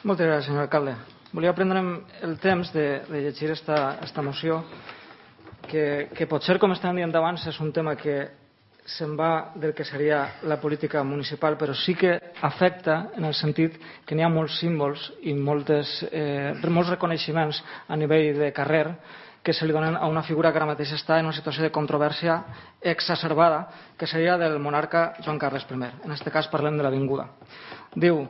Moltes gràcies, senyor alcalde. Volia prendre'm el temps de llegir esta moció, que potser, com estàvem dient abans, és un tema que se'n va del que seria la política municipal, però sí que afecta en el sentit que n'hi ha molts símbols i molts reconeixements a nivell de carrer que se li donen a una figura que ara mateix està en una situació de controvèrsia exacerbada, que seria del monarca Joan Carles I. En aquest cas parlem de l'Avinguda. Diu: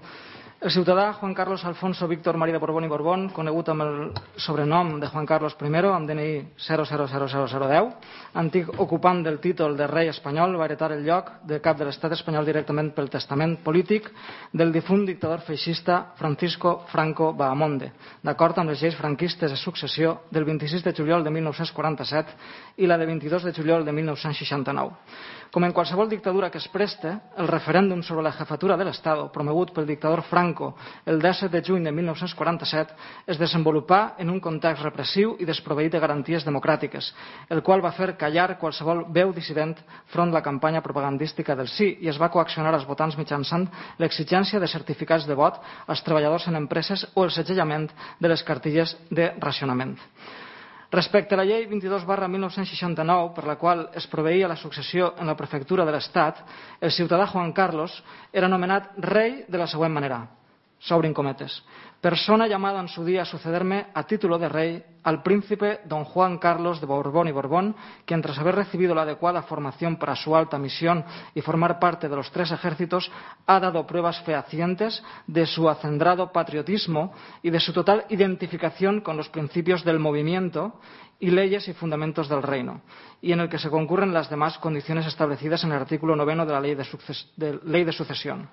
el ciutadà Juan Carlos Alfonso Víctor María de Borbón y Borbón, conegut amb el sobrenom de Juan Carlos I, amb DNI 000010, antic ocupant del títol de rei espanyol, va heretar el lloc de cap de l'estat espanyol directament pel testament polític del difunt dictador feixista Francisco Franco Bahamonde, d'acord amb les lleis franquistes de successió del 26 de juliol de 1947 i la de 22 de juliol de 1969. Com en qualsevol dictadura que es preste, el referèndum sobre la jefatura de l'Estado, promogut pel dictador Franco el 17 de juny de 1947, es desenvolupà en un context repressiu i desproveït de garanties democràtiques, el qual va fer callar qualsevol veu dissident front la campanya propagandística del sí, i es va coaccionar als votants mitjançant l'exigència de certificats de vot als treballadors en empreses o el segellament de les cartilles de racionament. Respecte a la llei 22/1969, per la qual es proveïa la successió en la prefectura de l'Estat, el ciutadà Juan Carlos era nomenat rey de la següent manera, s'obrin cometes: persona llamada en su día a sucederme a título de rey al príncipe don Juan Carlos de Borbón y Borbón, quien tras haber recibido la adecuada formación para su alta misión y formar parte de los 3 ejércitos, ha dado pruebas fehacientes de su acendrado patriotismo y de su total identificación con los principios del movimiento y leyes y fundamentos del reino, y en el que se concurren las demás condiciones establecidas en el artículo 9 de la Ley de Sucesión.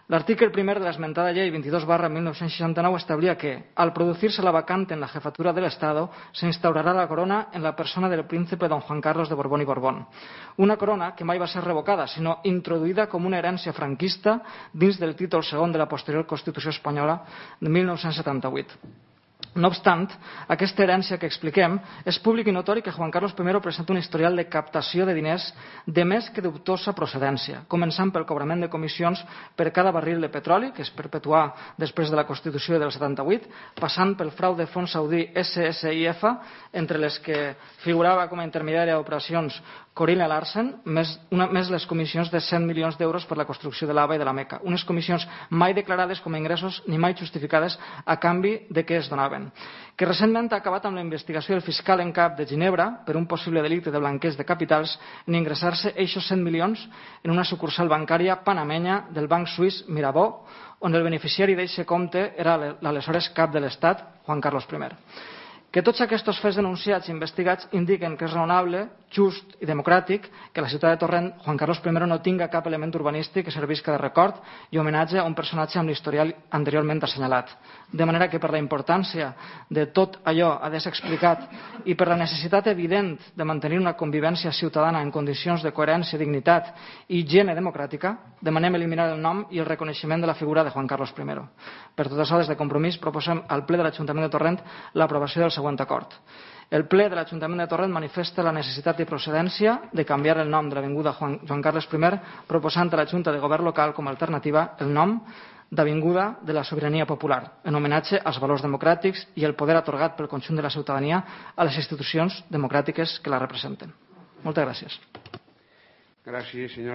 L'article 1 de l'esmentada llei 22/1969 establia que, al producirse la vacante en la jefatura del Estado, se instaurará la corona en la persona del príncipe don Juan Carlos de Borbón y Borbón. Una corona que mai va ser revocada, sinó introduïda com una herència franquista dins del títol segon de la posterior Constitució espanyola de 1978. No obstant, aquesta herència que expliquem és públic i notori que Juan Carlos I presenta un historial de captació de diners de més que dubtosa procedència, començant pel cobrament de comissions per cada barril de petroli, que es perpetuà després de la Constitució del 78, passant pel frau de fons saudí SSIF, entre les que figurava com a intermediària d'operacions Corina Larsen, més les comissions de 100 milions d'euros per la construcció de l'Aba i de la Meca, unes comissions mai declarades com a ingressos ni mai justificades a canvi de què es donaven, que recentment ha acabat amb la investigació del fiscal en cap de Ginebra per un possible delicte de blanqueig de capitals en ingressar-se eixos 100 milions en una sucursal bancària panamenya del banc suís Mirabeau, on el beneficiari d'aquest compte era l'aleshores cap de l'Estat, Juan Carlos I. Que tots aquests fets denunciats i investigats indiquen que és raonable, just i democràtic que la ciutat de Torrent, Juan Carlos I, no tinga cap element urbanístic que servisca de record i homenatge a un personatge amb l'historial anteriorment assenyalat. De manera que per la importància de tot allò ha de ser explicat i per la necessitat evident de mantenir una convivència ciutadana en condicions de coherència, dignitat i higiene democràtica, demanem eliminar el nom i el reconeixement de la figura de Juan Carlos I. Per tot això, des de Compromís, proposem al ple de l'Ajuntament de Torrent l'aprovació del següent acord. El ple de l'Ajuntament de Torrent manifesta la necessitat i procedència de canviar el nom de l'Avinguda Joan Carles I, proposant a la Junta de Govern local com a alternativa el nom d'Avinguda de la Sobirania Popular, en homenatge als valors democràtics i el poder atorgat pel conjunt de la ciutadania a les institucions democràtiques que la representen. Moltes gràcies. Gràcies, senyora.